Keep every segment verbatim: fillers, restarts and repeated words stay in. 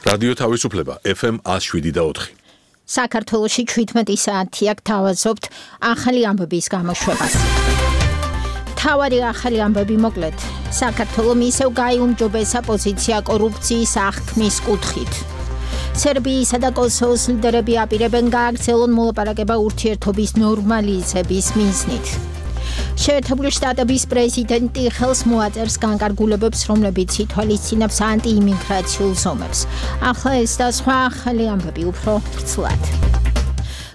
რადიო თავისუფლება F M one oh seven და four. საქართველოში შვიდმეტი საათი აქ თავაზობთ ახალი ამბების გამოშვებას. თავარი ახალი ამბები მოკლედ. საქართველოს ისევ გაიუმჯობესა პოზიცია კორუფციის აღქმის კუთხით. სერბიისა და კოსოვოს ლიდერები აპირებენ გააგრძელონ მოლაპარაკება ურთიერთობის ნორმალიზების მიზნით. შეერთებული შტატების პრეზიდენტი ხელს მოაწერს განკარგულებებს, რომლებიც ითვალისწინებს ანტიიმიგრაციულ ზომებს. ახლა ეს და სხვა ახალი ამბები უფრო ვრცლად.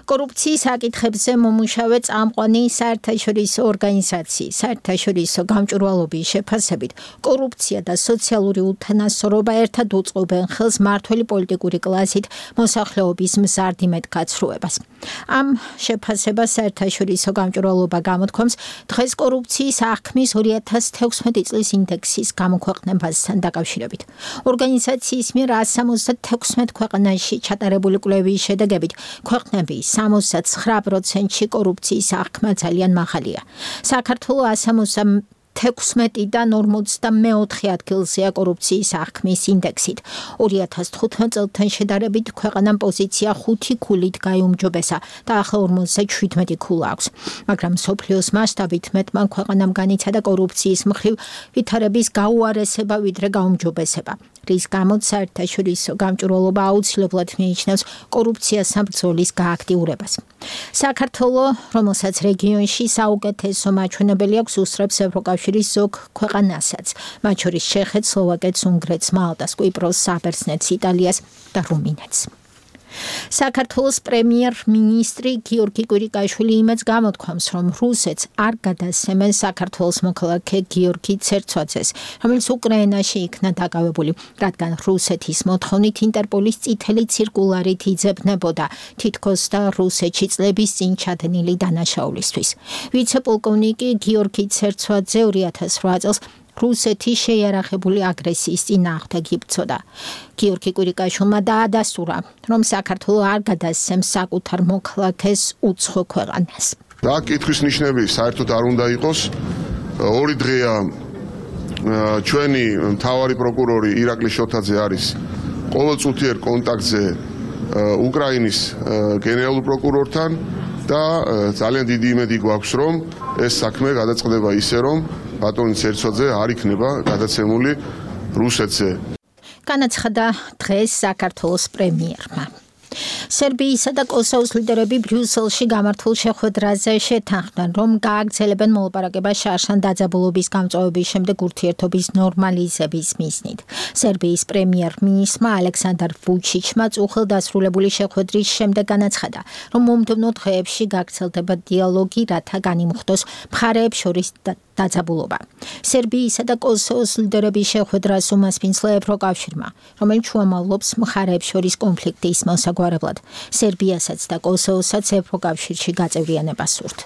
კორუფციის საკითხებზე მომუშავე წამყვანი საერთაშორისო ორგანიზაციის საერთაშორისო გამჭვირვალობის შეფასებით კორუფცია და სოციალური უთანასწორობა ერთად უწყობენ ხელს მმართველი პოლიტიკური კლასით მოსახლეობის მზარდიმედ გაცრუებას. ამ შეფასებას საერთაშორისო გამჭვირვალობა გამოთქვამს დღეს კორუფციის აღქმის ორი ათას თექვსმეტი წლის ინდექსის გამოქვეყნებასთან დაკავშირებით. ორგანიზაციის მიერ one hundred seventy-six ქვეყანაში ჩატარებული კვლევის შედეგებით ქვეყნების სამოცდათსხრა პროცენტში კორუფციის აღქმა ძალიან მაღალია. საქართველოს one hundred თექვსმეტიდან ორმოცდამეოთხე ადგილზეა კორუფციის აღქმის ინდექსით. ორი ათას თხუთმეტ წელთან შედარებით ქვეყანამ პოზიცია ხუთი ქულით გაიუმჯობესა და ახლა ორმოცდაშვიდმეტი ქულა აქვს. მაგრამ მსოფლიოს მასშტაბით მეტმა ქვეყანამ განიცადა კორუფციის მხრივ ვითარების გაუარესება ვიდრე გაუმჯობესება. რის გამოც საერთაშორისო გამჭვირვალობა აუცილებლად მიიჩნევს კორუფციასთან ბრძოლის გააქტიურებას. საქართველოს, რომელსაც რეგიონში საუკეთესო მაჩვენებელი აქვს, უსწრებს ევროკავშირის ზოგ ქვეყანასაც, მათ შორის ჩეხეთს, სლოვაკეთს, უნგრეთს, მალტას, კვიპროსს, საბერძნეთს, იტალიას და რუმინეთს. საქართველოს პრემიერ-მინისტრი გიორგი კვირიკაშვილი იმედს გამოთქვამს, რომ რუსეთს არ გადასცემენ საქართველოს მოქალაქე გიორგი ცერცვაძეს, რომელიც უკრაინაში იქნა დაკავებული, რადგან რუსეთის მოთხოვნით ინტერპოლის წითელი ცირკულარით იძებნებოდა თითქოს და რუსეთში წლების წინ ჩადენილი დანაშაულისთვის. ვიცე-პოლკოვნიკი გიორგი ცერცვაძე ორი ათას რვა წელს რუსეთის შეიარაღებული აგრესიის წინააღმდეგ იბრძოდა. გიორგი კვირიკაშვილმა დაადასტურა, რომ საქართველოს არ გადასცემს საკუთარ მოქალაქეს უცხო ქვეყანას. რა კითხვის ნიშნები საერთოდ არ უნდა იყოს. ორი დღეა ჩვენი მთავარი პროკურორი ირაკლი შოთაძე არის ყოველწუთიერ კონტაქტზე უკრაინის გენერალურ პროკურორთან და ძალიან დიდი იმედი გვაქვს, რომ ეს საქმე გადაწყდება ისე, რომ ბატონი ცერცვაძე არ იქნება გადაცემული რუსეთზე. განაცხადა დღეს საქართველოს პრემიერმა. სერბიისა და კოსოვოს ლიდერები ბრიუსელში გამართულ შეხვედრაზე შეთანხმდნენ, რომ გააგრძელებენ მოლაპარაკება შარშან დაძაბულობის გამწვავების შემდეგ ურთიერთობის ნორმალიზების მიზნით. სერბიის პრემიერ-მინისტრმა ალექსანდრ ვუჩიჩმა უხელდასრულებული შეხვედრის შემდეგ განაცხადა, რომ მომდევნო დღეებში გაგრძელდება დიალოგი, რათა განიმუხტოს მხარეებს შორის დაძაბულობა. სერბიისა და კოსოვოს ლიდერების შეხვედრას უმასპინძლა ევროკავშირმა, რომელიც შუამავლობს მხარეებს შორის კონფლიქტის მოსაგვარებლად. სერბიასაც და კოსოვოსაც ევროკავშირში გაწევრიანება სურთ.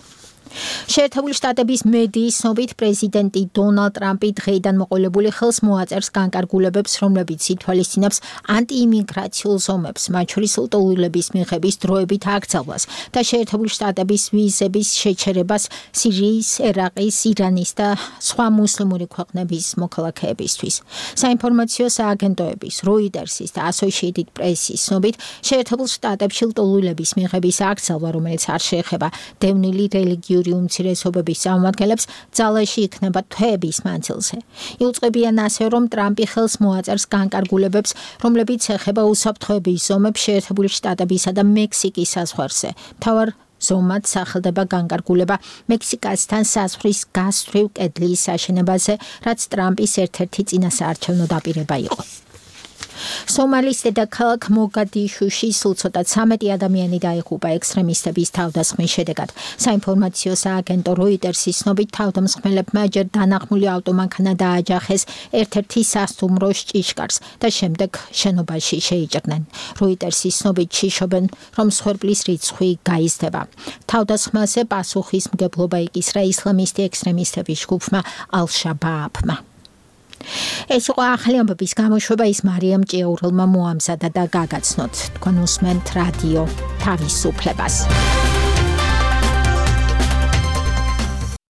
შეერთებული შტატების მედიის ცნობით პრეზიდენტი დონალდ ტრამპი დღეიდან მოყოლებული ხელს მოაწერს განკარგულებებს, რომლებიც ითვალისწინებს ანტიიმიგრაციულ ზომებს, მათ შორის ლტოლვილების მიღების დროებით აკრძალვას და შეერთებული შტატების ვიზების შეჩერებას სირიის, ერაყის, ირანის და სხვა მუსლიმური ქვეყნების მოქალაქეებისთვის. საინფორმაციო სააგენტოების, როიტერსის და ასოციეიტედ პრესის ცნობით, შეერთებულ შტატებში ლტოლვილების მიღების აკრძალვა, რომელიც არ შეეხება დევნილი რელიგიური უმცირესობების წარმომადგენლებს, ძალაში იქნება თვეების მანძილზე. იუწყებიან ასე, რომ ტრამპი ხელს მოაწერს განკარგულებებს, რომლებიც ეხება უსაფრთხოების ზომებს შეერთებული შტატებისა და მექსიკის საზღვარზე. მთავარ ზომად სახელდება განკარგულება მექსიკასთან საზღვრის გასწვრივ კედლის აშენებაზე, რაც ტრამპის ერთ-ერთი წინასაარჩევნო დაპირება იყო. სომალის დედაქალაქ მოგადიშუში სულ ცოტა ცამეტი ადამიანი დაიღუპა ექსტრემისტების თავდასხმის შედეგად. საინფორმაციო სააგენტო როიტერსის ცნობით თავდამსხმელებმა ჯერ დანახმული ავტომანქანა დააჯახეს ერთ-ერთი სასტუმროს ჭიშკარს და შემდეგ შენობაში შეიჭრნენ. როიტერსის ცნობით შიშობენ, რომ მსხვერპლის რიცხვი გაიზრდება. თავდასხმაზე პასუხისმგებლობა იკისრა ისლამისტი ექსტრემისტების ჯგუფმა ალ-შაბააბმა. ეს იყო ახალი ამბების გამოშვება, ის მარიამ ჭიაურელმა მოამზადა და გაგაცნოთ. თქვენ უსმენთ რადიო თავისუფლებას.